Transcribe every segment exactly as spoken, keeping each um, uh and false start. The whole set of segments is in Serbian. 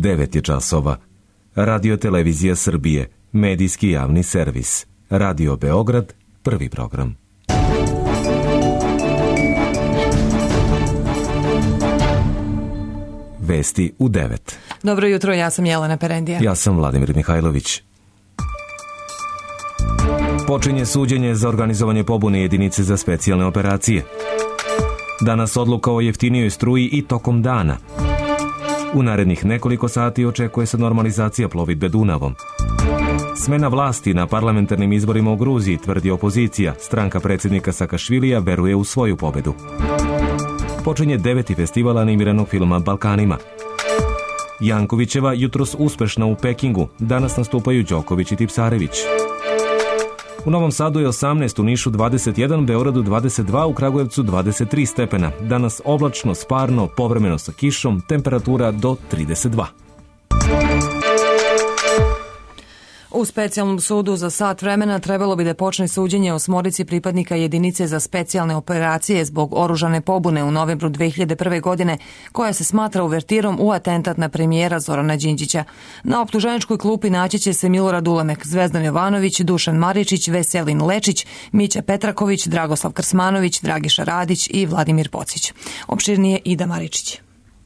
devet je časova. Radio Televizija Srbije, medijski javni servis. Radio Beograd, prvi program. Vesti u devet. Dobro jutro, ja sam Jelena Perendija. Ja sam Vladimir Mihajlović. Počinje suđenje za organizovanje pobune jedinice za specijalne operacije. Danas odluka o jeftinijoj struji i tokom dana. U narednih nekoliko sati očekuje se normalizacija plovidbe Dunavom. Smena vlasti na parlamentarnim izborima u Gruziji, tvrdi opozicija. Stranka predsjednika Sakašvilija veruje u svoju pobedu. Počinje deveti festival animiranog filma Balkanima. Jankovićeva jutros uspešna u Pekingu. Danas nastupaju Đoković i Tipsarević. U Novom Sadu je osamnaest, u Nišu dvadeset jedan, Beogradu dvadeset dva, u Kragujevcu dvadeset tri stepena. Danas oblačno, sparno, povremeno sa kišom, temperatura do trideset dva. U specijalnom sudu za sat vremena trebalo bi da počne suđenje osmorici pripadnika jedinice za specijalne operacije zbog oružane pobune u novembru dve hiljade prve. godine, koja se smatra uvertirom u atentat na premijera Zorana Đinđića. Na optuženičkoj klupi naći će se Milorad Ulemek, Zvezdan Jovanović, Dušan Maričić, Veselin Lečić, Mića Petraković, Dragoslav Krsmanović, Dragiša Radić i Vladimir Pocić. Opširnije Ida Maričić.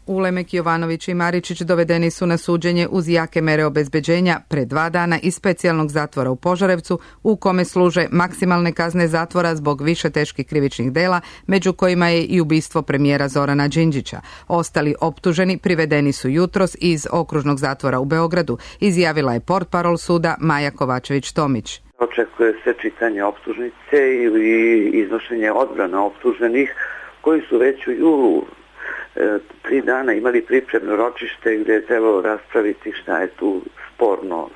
Ulemek, Jovanović i Maričić dovedeni su na suđenje uz jake mere obezbeđenja pre dva dana iz specijalnog zatvora u Požarevcu, u kome služe maksimalne kazne zatvora zbog više teških krivičnih dela, među kojima je i ubistvo premijera Zorana Đinđića. Ostali optuženi privedeni su jutros iz okružnog zatvora u Beogradu, izjavila je portparol suda Maja Kovačević-Tomić. Očekuje se čitanje optužnice ili iznošenje odbrana optuženih koji su već u julu tri dana imali pripremno ročište gdje je trebalo raspraviti šta je tu sporno,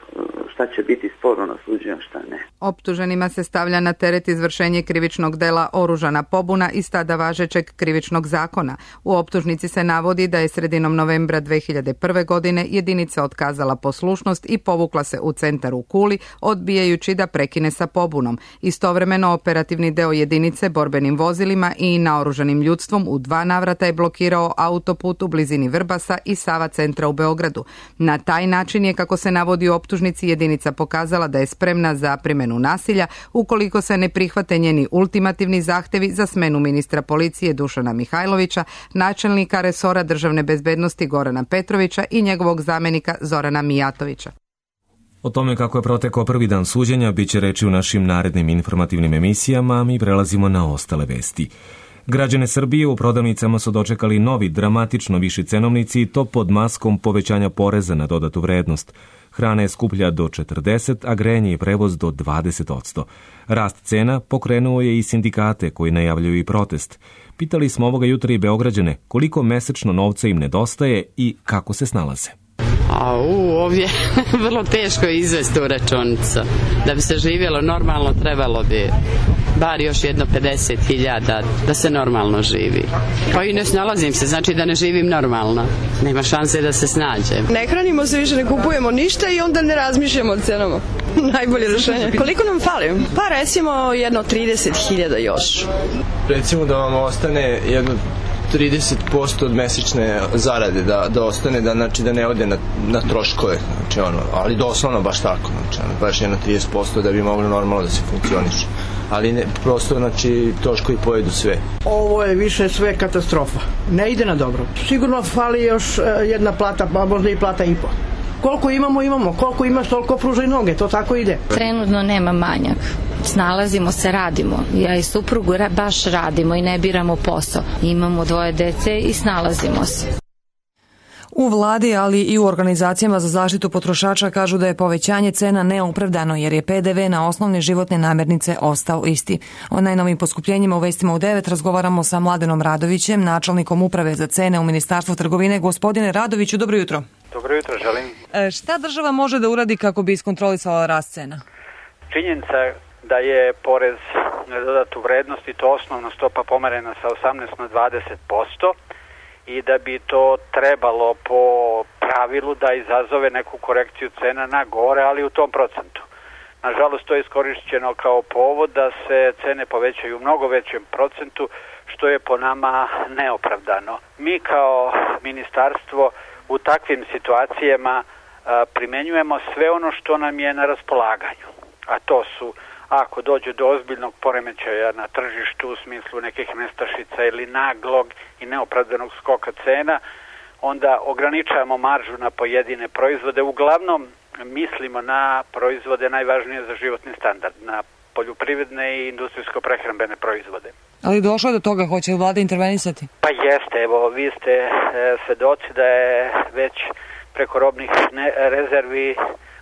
šta će biti sporno na suđenju, šta ne. Optuženima se stavlja na teret izvršenje krivičnog dela oružana pobuna iz tada važećeg krivičnog zakona. U optužnici se navodi da je sredinom novembra dve hiljade prve. godine jedinica otkazala poslušnost i povukla se u centar u Kuli, odbijajući da prekine sa pobunom. Istovremeno operativni deo jedinice borbenim vozilima i naoružanim ljudstvom u dva navrata je blokirao autoput u blizini Vrbasa i Sava centra u Beogradu. Na taj način je, kako se navodi u optužnici, jedinica pokazala da je spremna za primjenu nasilja ukoliko se ne prihvate njeni ultimativni zahtevi za smenu ministra policije Dušana Mihajlovića, načelnika resora državne bezbednosti Gorana Petrovića i njegovog zamenika Zorana Mijatovića. O tome kako je protekao prvi dan suđenja biće reči u našim narednim informativnim emisijama, a mi prelazimo na ostale vesti. Građane Srbije u prodavnicama su dočekali novi, dramatično viši cenovnici i to pod maskom povećanja poreza na dodatu vrednost. Hrana je skuplja do četrdeset, a grejanje i prevoz do dvadeset posto. Rast cena pokrenuo je i sindikate koji najavljuju i protest. Pitali smo ovoga jutra i Beograđane koliko mesečno novca im nedostaje i kako se snalaze. A u, ovdje vrlo teško je izvesti u računicu. Da bi se živjelo normalno trebalo bi bar još jedno pedeset hiljada da se normalno živi. Pa i ne snalazim se, znači da ne živim normalno. Nema šanse da se snađem. Ne hranimo se više, ne kupujemo ništa i onda ne razmišljamo o cenama. Najbolje rešenje. Koliko nam fali? Pa recimo jedno trideset hiljada još. Recimo da vam ostane jedno trideset posto od mesečne zarade da, da ostane, da, znači, da ne ode na, na troškove, znači, ono, ali doslovno baš tako, znači, ono, baš jedno trideset posto da bi moglo normalno da se funkcioniše. Ali ne, prosto, znači, troškovi pojedu sve. Ovo je više sve katastrofa. Ne ide na dobro. Sigurno fali još jedna plata, pa možda i plata i po. Koliko imamo, imamo. Koliko imaš, toliko pružaj noge. To tako ide. Trenutno nema manjak. Snalazimo se, radimo. Ja i suprugu baš radimo i ne biramo posao. Imamo dvoje dece i snalazimo se. U vladi, ali i u organizacijama za zaštitu potrošača kažu da je povećanje cena neopravdano jer je pe de ve na osnovne životne namirnice ostao isti. O najnovim poskupljenjima u vestima u devet razgovaramo sa Mladenom Radovićem, načelnikom uprave za cene u Ministarstvu trgovine. Gospodine Radoviću, dobro jutro. Dobro jutro, želim. E, šta država može da uradi kako bi iskontrolisala rast cena? Činjenica da je porez na dodatu vrednost i to osnovna stopa pomerena sa osamnaest na dvadeset posto i da bi to trebalo po pravilu da izazove neku korekciju cena na gore, ali u tom procentu. Nažalost, to je iskorišćeno kao povod da se cene povećaju u mnogo većem procentu, što je po nama neopravdano. Mi kao ministarstvo u takvim situacijama primenjujemo sve ono što nam je na raspolaganju. A to su, ako dođe do ozbiljnog poremećaja na tržištu u smislu nekih nestašica ili naglog i neopravdanog skoka cena, onda ograničavamo maržu na pojedine proizvode. Uglavnom mislimo na proizvode najvažnije za životni standard, na poljoprivredne i industrijsko-prehrambene proizvode. Ali došlo do toga, hoće li vlada intervenisati? Pa jeste, evo, vi ste e, svedoci da je već preko robnih ne, rezervi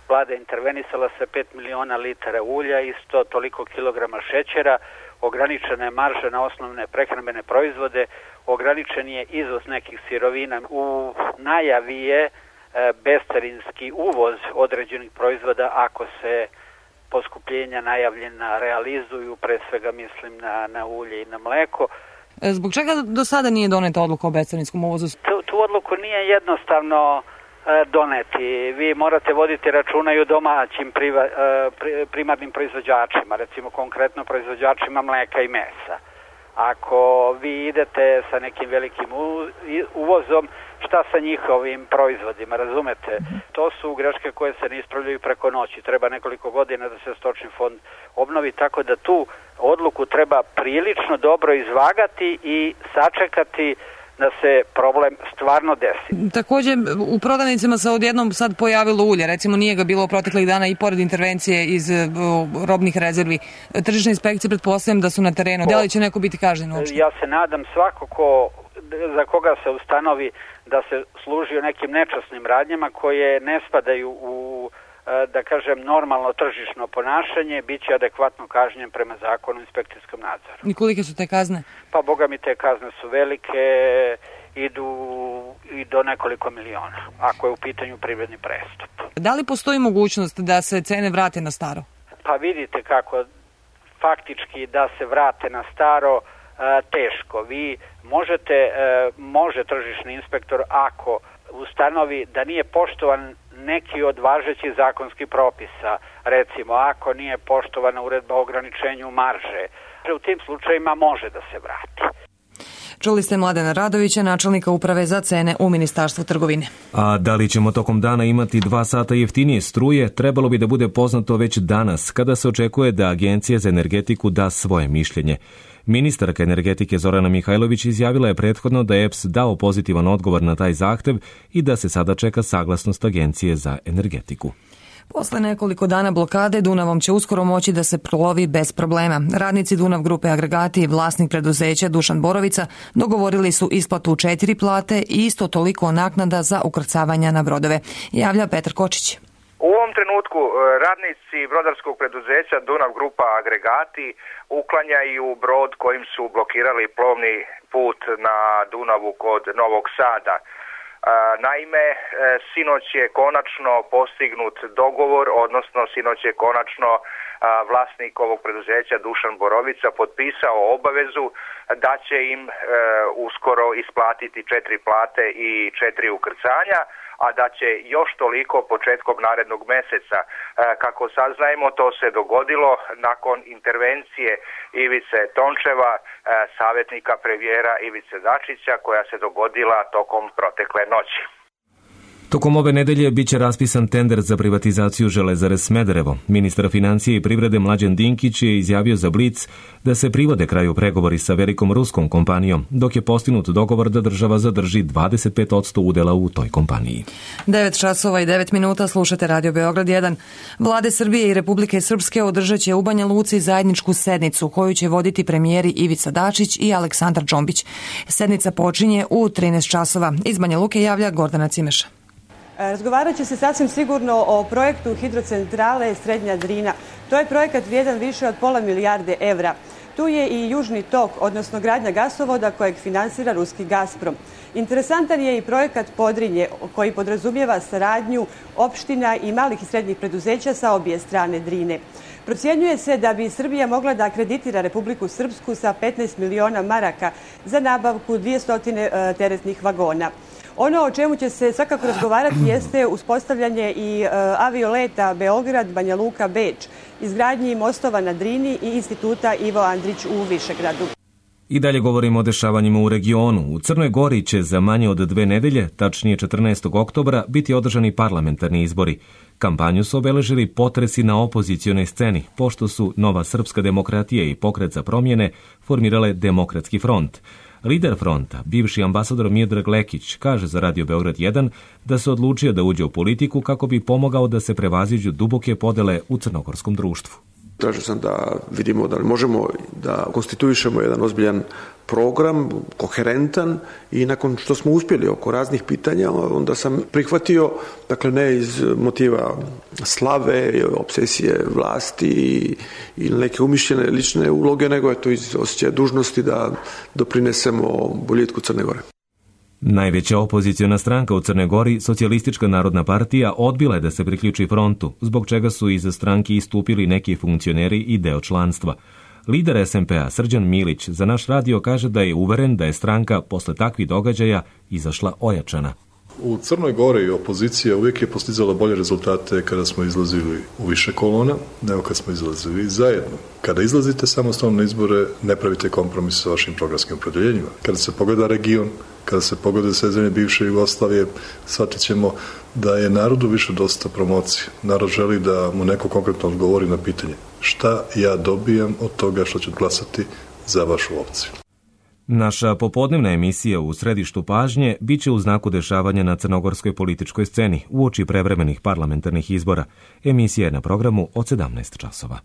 vlada intervenisala sa pet miliona litara ulja i sto toliko kilograma šećera, ograničena je marža na osnovne prehrambene proizvode, ograničen je izvoz nekih sirovina. U najavi je e, bescarinski uvoz određenih proizvoda ako se poskupljenja najavljena realizuju, pre svega mislim na, na ulje i na mleko. Zbog čega do sada nije doneta odluka o bescarinskom uvozu? Tu, tu odluku nije jednostavno e, doneti. Vi morate voditi računa i o domaćim priva, e, pri, primarnim proizvođačima, recimo konkretno proizvođačima mleka i mesa. Ako vi idete sa nekim velikim uvozom, šta sa njihovim proizvodima, razumete? To su greške koje se ne ispravljaju preko noći. Treba nekoliko godina da se stočni fond obnovi, tako da tu odluku treba prilično dobro izvagati i sačekati da se problem stvarno desi. Također u prodavnicama se odjednom sad pojavilo ulje, recimo nije ga bilo proteklih dana i pored intervencije iz uh, robnih rezervi. Tržišne inspekcije pretpostavljam da su na terenu. Da li će neko biti kažnjen uopšte? Ja se nadam svako ko, za koga se ustanovi da se služi o nekim nečasnim radnjama koje ne spadaju u, da kažem, normalno tržišno ponašanje, bit će adekvatno kažnjen prema zakonu o inspekcijskom nadzoru. I kolike su te kazne? Pa boga mi te kazne su velike, idu i do nekoliko miliona, ako je u pitanju privredni prestup. Da li postoji mogućnost da se cene vrate na staro? Pa vidite kako, faktički da se vrate na staro, teško. Vi možete, može tržišni inspektor ako ustanovi da nije poštovan neki od važećih zakonskih propisa, recimo ako nije poštovana uredba o ograničenju marže, u tim slučajima može da se vrati. Čuli ste Mladena Radovića, načelnika uprave za cene u Ministarstvu trgovine. A da li ćemo tokom dana imati dva sata jeftinije struje, trebalo bi da bude poznato već danas, kada se očekuje da Agencija za energetiku da svoje mišljenje. Ministarka energetike Zorana Mihajlović izjavila je prethodno da je E P S dao pozitivan odgovor na taj zahtev i da se sada čeka saglasnost Agencije za energetiku. Posle nekoliko dana blokade Dunavom će uskoro moći da se plovi bez problema. Radnici Dunav grupe Agregati i vlasnik preduzeća Dušan Borovica dogovorili su isplatu četiri plate i isto toliko naknada za ukrcavanja na brodove. Javlja Petar Kočić. U ovom trenutku radnici brodarskog preduzeća Dunav grupa Agregati uklanjaju brod kojim su blokirali plovni put na Dunavu kod Novog Sada. Naime, sinoć je konačno postignut dogovor, odnosno sinoć je konačno vlasnik ovog preduzeća Dušan Borovica potpisao obavezu da će im uskoro isplatiti četiri plate i četiri ukrcanja, a da će još toliko početkom narednog meseca. Kako saznajemo, to se dogodilo nakon intervencije Ivice Tončeva, savjetnika premijera Ivice Dačića, koja se dogodila tokom protekle noći. Tokom ove nedelje biće raspisan tender za privatizaciju Železare Smederevo. Ministar financije i privrede Mlađan Dinkić je izjavio za Blic da se privode kraju pregovori sa velikom ruskom kompanijom, dok je postignut dogovor da država zadrži dvadeset pet posto udela u toj kompaniji. devet časova i devet minuta, slušate Radio Beograd jedan. Vlade Srbije i Republike Srpske održat će u Banja Luci zajedničku sednicu koju će voditi premijeri Ivica Dačić i Aleksandar Džombić. Sednica počinje u trinaest časova. Iz Banja Luke javlja Gordana Cimeša. Razgovarat će se sasvim sigurno o projektu hidrocentrale Srednja Drina. To je projekat vrijedan više od pola milijarde evra. Tu je i Južni tok, odnosno gradnja gasovoda kojeg finansira ruski Gazprom. Interesantan je i projekat Podrinje, koji podrazumijeva saradnju opština i malih i srednjih preduzeća sa obje strane Drine. Procjenjuje se da bi Srbija mogla da akreditira Republiku Srpsku sa petnaest miliona maraka za nabavku dvjesto teretnih vagona. Ono o čemu će se svakako razgovarati jeste uspostavljanje i avioleta Beograd, Banja Luka, Beč, izgradnji mostova na Drini i instituta Ivo Andrić u Višegradu. I dalje govorimo o dešavanjima u regionu. U Crnoj Gori će za manje od dve nedelje, tačnije četrnaestog oktobra, biti održani parlamentarni izbori. Kampanju su obeležili potresi na opozicionoj sceni, pošto su Nova srpska demokratija i Pokret za promjene formirale Demokratski front. Lider fronta, bivši ambasador Miodrag Lekić, kaže za Radio Beograd jedan da se odlučio da uđe u politiku kako bi pomogao da se prevaziđu duboke podele u crnogorskom društvu. Tražio sam da vidimo da li možemo da konstituišemo jedan ozbiljan program, koherentan, i nakon što smo uspjeli oko raznih pitanja, onda sam prihvatio, dakle ne iz motiva slave, obsesije vlasti i neke umišljene lične uloge, nego je to iz osjećaja dužnosti da doprinesemo boljitku Crne Gore. Najveća opoziciona stranka u Crnoj Gori, Socijalistička narodna partija, odbila je da se priključi frontu, zbog čega su iza stranki istupili neki funkcioneri i deo članstva. Lider es em pe a Srđan Milić za naš radio kaže da je uveren da je stranka posle takvih događaja izašla ojačana. U Crnoj Gori opozicija uvijek je postizala bolje rezultate kada smo izlazili u više kolona nego kad smo izlazili zajedno. Kada izlazite samostalno na izbore, ne pravite kompromis sa vašim programskim opredeljenjima. Kada se pogleda region, kada se pogleda sve zemlje bivše Jugoslavije, shvatit ćemo da je narodu više dosta promocije. Narod želi da mu neko konkretno odgovori na pitanje šta ja dobijam od toga što ću glasati za vašu opciju. Naša popodnevna emisija U središtu pažnje biće u znaku dešavanja na crnogorskoj političkoj sceni uoči prevremenih parlamentarnih izbora. Emisija je na programu od sedamnaest časova.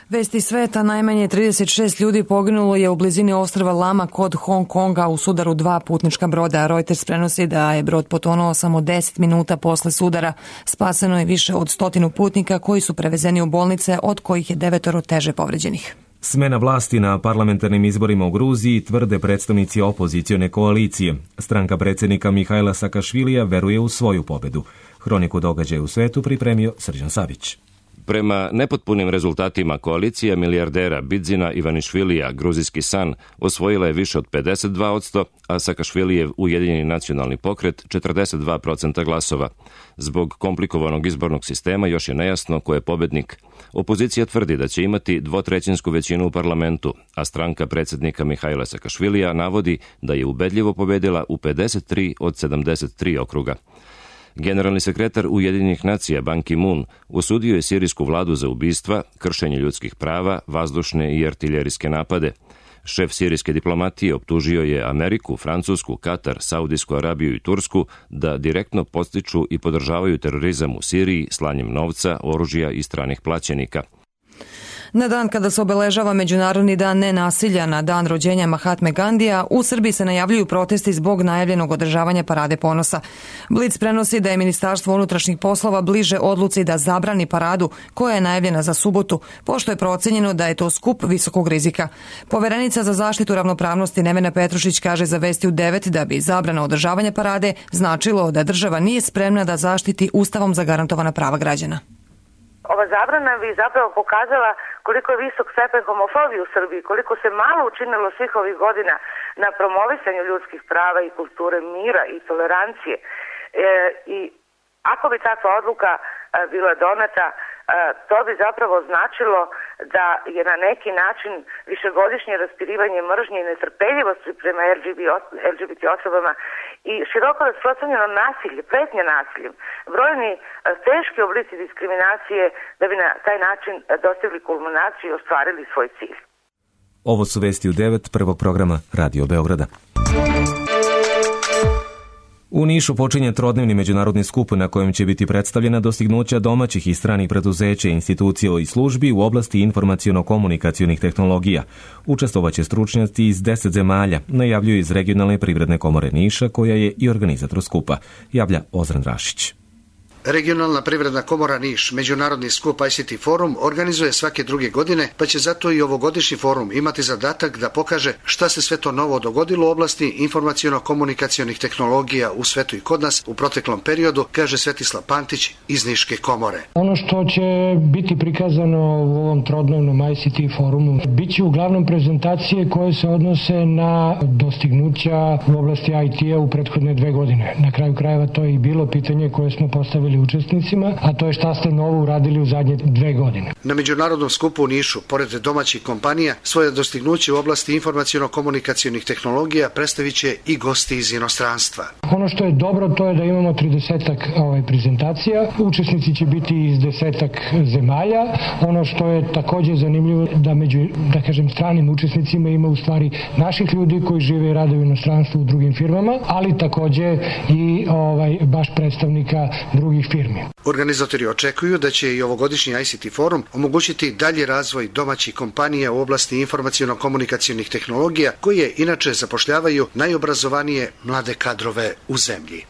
Vesti sveta, najmanje trideset šest ljudi poginulo je u blizini ostrva Lama kod Hong Konga u sudaru dva putnička broda. Reuters prenosi da je brod potonuo samo deset minuta posle sudara. Spaseno je više od stotinu putnika koji su prevezeni u bolnice, od kojih je devetoro teže povređenih. Smena vlasti na parlamentarnim izborima u Gruziji tvrde predstavnici opozicione koalicije. Stranka predsjednika Mihajla Sakašvilija veruje u svoju pobedu. Hroniku događaja u svetu pripremio Srđan Savić. Prema nepotpunim rezultatima, koalicija milijardera Bidzina Ivanišvilija, gruzijski san, osvojila je više od pedeset dva posto, a Sakašvilijev Ujedinjeni nacionalni pokret četrdeset dva posto glasova. Zbog komplikovanog izbornog sistema još je nejasno ko je pobednik. Opozicija tvrdi da će imati dvotrećinsku većinu u parlamentu, a stranka predsjednika Mihajla Sakašvilija navodi da je ubedljivo pobedila u pedeset tri od sedamdeset tri okruga. Generalni sekretar Ujedinjenih nacija Ban Ki-moon osudio je sirijsku vladu za ubistva, kršenje ljudskih prava, vazdušne i artiljerijske napade. Šef sirijske diplomatije optužio je Ameriku, Francusku, Katar, Saudijsku Arabiju i Tursku da direktno podstiču i podržavaju terorizam u Siriji slanjem novca, oružja i stranih plaćenika. Na dan kada se obeležava Međunarodni dan nenasilja na dan rođenja Mahatme Gandija, u Srbiji se najavljuju protesti zbog najavljenog održavanja Parade ponosa. Blic prenosi da je Ministarstvo unutrašnjih poslova bliže odluci da zabrani paradu koja je najavljena za subotu, pošto je procenjeno da je to skup visokog rizika. Poverenica za zaštitu ravnopravnosti Nevena Petrušić kaže za Vesti u devet da bi zabrana održavanja parade značilo da država nije spremna da zaštiti ustavom zagarantovana prava građana. Ova zabrana bi zapravo pokazala koliko je visok stepen homofobije u Srbiji, koliko se malo učinilo svih ovih godina na promovisanju ljudskih prava i kulture mira i tolerancije. E, I ako bi takva odluka e, bila doneta, e, to bi zapravo značilo da je na neki način višegodišnje raspirivanje mržnje i netrpeljivosti prema el ge be te osobama i široko rasprostranjeno nasilje, pretnje nasiljem, brojni teški oblici diskriminacije da bi na taj način dostigli kulminaciju i ostvarili svoj cilj. Ovo su Vesti u devet prvog programa Radio Beograda. U Nišu počinje trodnevni međunarodni skup na kojem će biti predstavljena dostignuća domaćih i stranih preduzeća, institucija i službi u oblasti informaciono-komunikacionih tehnologija. Učestvovaće stručnjaci iz deset zemalja, najavljuju iz Regionalne privredne komore Niša, koja je i organizator skupa, javlja Ozren Rašić. Regionalna privredna komora Niš, međunarodni skup I C T forum, organizuje svake druge godine, pa će zato i ovogodišnji forum imati zadatak da pokaže šta se sve to novo dogodilo u oblasti informaciono-komunikacionih tehnologija u svetu i kod nas u proteklom periodu, kaže Svetislav Pantić iz Niške komore. Ono što će biti prikazano u ovom trodnevnom I C T forumu biće uglavnom prezentacije koje se odnose na dostignuća u oblasti I T-a u prethodne dve godine. Na kraju krajeva to je i bilo pitanje koje smo postavili postavili učesnicima, a to je šta ste novo uradili u zadnje dve godine. Na međunarodnom skupu u Nišu, pored domaćih kompanija, svoje dostignuće u oblasti informaciono-komunikacionih tehnologija predstavit će i gosti iz inostranstva. Ono što je dobro, to je da imamo tridesetak ovaj, prezentacija. Učesnici će biti iz desetak zemalja. Ono što je također zanimljivo da među, da kažem, stranim učesnicima ima u stvari naših ljudi koji žive i rade u inostranstvu u drugim firmama, ali također i ovaj, baš predstavnika drugih firmi. Organizatori očekuju da će i ovogodišnji I C T forum omogućiti dalji razvoj domaćih kompanija u oblasti informaciono-komunikacionih tehnologija koje inače zapošljavaju najobrazovanije mlade kadrove u zemlji.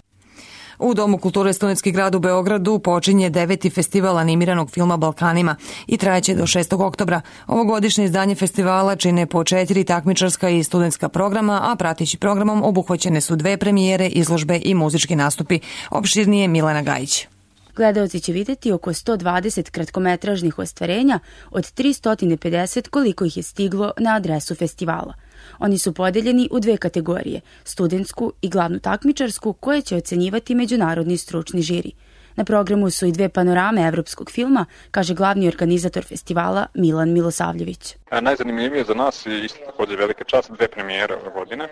U Domu kulture Studentski grad u Beogradu počinje deveti festival animiranog filma Balkanima i trajeće do šestog oktobra. Ovogodišnje izdanje festivala čine po četiri takmičarska i studentska programa, a pratići programom obuhvaćene su dve premijere, izložbe i muzički nastupi. Opširnije Milena Gajić. Gledaoci će vidjeti oko sto dvadeset kratkometražnih ostvarenja od tristo pedeset koliko ih je stiglo na adresu festivala. Oni su podeljeni u dve kategorije, studentsku i glavnu takmičarsku, koje će ocenjivati međunarodni stručni žiri. Na programu su i dve panorame evropskog filma, kaže glavni organizator festivala Milan Milosavljević. A najzanimljivije za nas je isto također velika čast, dve premijere ove godine.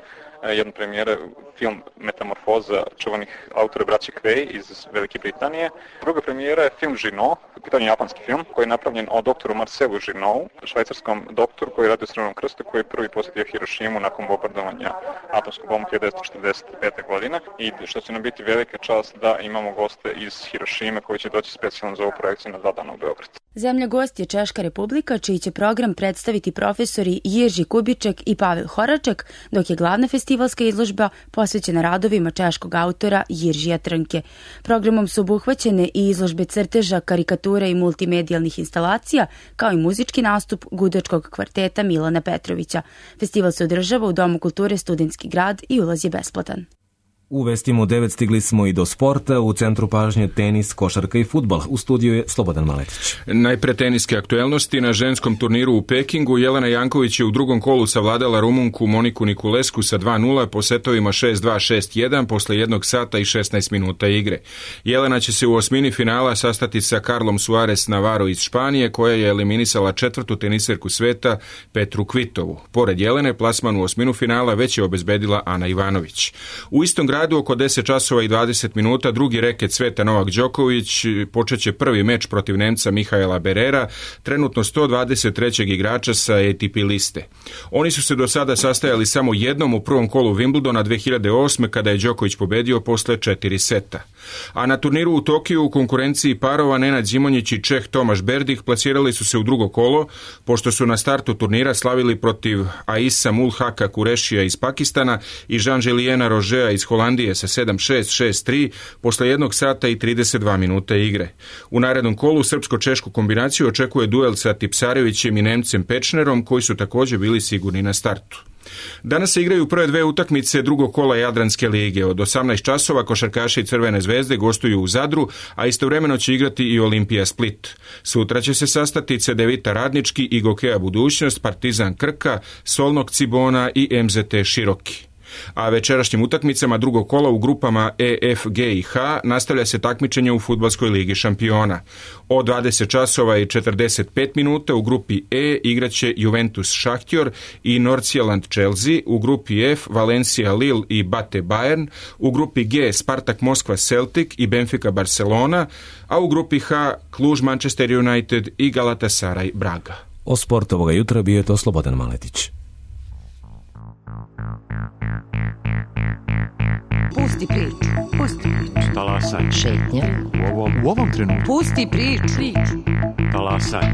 Jedna premijera film Metamorfoza čuvanih autora braće Kvej iz Velike Britanije. Druga premijera je film Žino, u pitanju japanski film, koji je napravljen o doktoru Marcelu Žinovu, švajcarskom doktoru koji radi u Crvenom krstu, koji je prvi posjetio Hirošimu nakon bombardovanja atomskog bomba hiljadu devetsto četrdeset pete. godine i što će nam biti velika čast da imamo goste iz Hirošime koji će doći specijalno za ovu projekciju na dva dana u Beograd. Zemlja gost je Češka Republika, čiji će program predstaviti profesori Jerzy Kubiček i Pavel Horaček, dok je glavna festivalska izložba posvećena radovima češkog autora Jiržija Trnke. Programom su obuhvaćene i izložbe crteža, karikatura i multimedijalnih instalacija, kao i muzički nastup gudačkog kvarteta Milana Petrovića. Festival se održava u Domu kulture Studentski grad i ulaz je besplatan. U Vestima u devet stigli smo i do sporta, u centru pažnje tenis, košarka i fudbal. U studiju je Slobodan Maletić. Najpre teniske aktuelnosti. Na ženskom turniru u Pekingu Jelena Janković je u drugom kolu savladala Rumunku Moniku Nikulesku sa dva nula po setovima šest dva šest jedan posle jednog sata i šesnaest minuta igre. Jelena će se u osmini finala sastati sa Carlom Suarez Navarro iz Španije, koja je eliminisala četvrtu teniserku sveta Petru Kvitovu. Pored Jelene, plasman u osminu finala već je obezbedila Ana Ivanović. U istom gradu oko deset časova i dvadeset minuta drugi reket sveta Novak Đoković počeće prvi meč protiv Nemca Mihaela Berera, trenutno sto dvadeset trećeg igrača sa A T P liste. Oni su se do sada sastajali samo jednom u prvom kolu Wimbledona dve hiljade osme kada je Đoković pobedio posle četiri seta. A na turniru u Tokiju u konkurenciji parova Nenad Zimonjić i Čeh Tomaš Berdih plasirali su se u drugo kolo, pošto su na startu turnira slavili protiv Aisa Mulhaka Kurešija iz Pakistana i Jean-Juliena Rožea iz Holandije sa sedam šest, šest tri posle jednog sata i trideset dva minuta igre. U narednom kolu srpsko-češku kombinaciju očekuje duel sa Tipsarevićem i Nemcem Pečnerom, koji su također bili sigurni na startu. Danas se igraju prve dve utakmice drugog kola Jadranske lige. Od osamnaest časova košarkaši Crvene zvezde gostuju u Zadru, a istovremeno će igrati i Olimpija Split. Sutra će se sastati Cedevita Radnički i Gokeja Budućnost, Partizan Krka, Solnog Cibona i M Z T Široki. A večerašnjim utakmicama drugog kola u grupama E, F, G i H nastavlja se takmičenje u Fudbalskoj ligi šampiona. Od dvadeset časova i četrdeset pet minuta u grupi E igraće Juventus Šahtjor i Nordsjælland Chelsea, u grupi F Valencia Lille i Bate Bayern, u grupi G Spartak Moskva Celtic i Benfica Barcelona, a u grupi H Cluj Manchester United i Galatasaray Braga. O sportu ovoga jutra bio je to Slobodan Maletić. Pusti priču, pusti priču. Talasaj. Šetnja. U ovom, u ovom trenutku. Pusti priču. priču. Talasaj.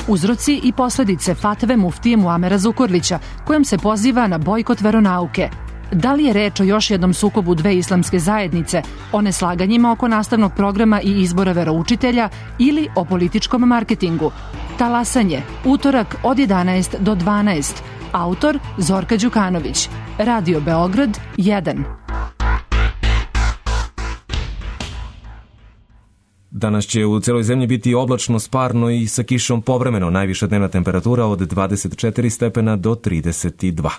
Uzroci i posljedice fatve muftije Muamera Zukorlića, kojom se poziva na bojkot veronauke. Da li je reč o još jednom sukobu dve islamske zajednice, o neslaganjima oko nastavnog programa i izbora veroučitelja ili o političkom marketingu? Talasanje, utorak od jedanaest do dvanaest. Autor Zorka Đukanović. Radio Beograd jedan. Danas će u celoj zemlji biti oblačno, sparno i sa kišom povremeno. Najviša dnevna temperatura od dvadeset četiri stepena do trideset dva.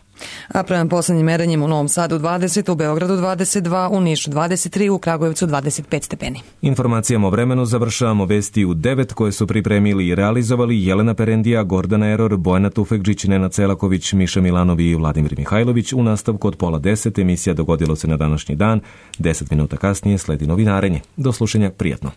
A prema poslednjim merenjem u Novom Sadu dvadeset, u Beogradu dvadeset dva, u Nišu dvadeset tri, u Kragujevcu dvadeset pet stepeni. Informacijama o vremenu završavamo vesti u devet koje su pripremili i realizovali Jelena Perendija, Gordana Eror, Bojana Tufekđić, Nenad Celaković, Miša Milanov i Vladimir Mihajlović. U nastavku od pola deset emisija Dogodilo se na današnji dan. Deset minuta kasnije sledi novinarenje. Do slušanja, prijatno.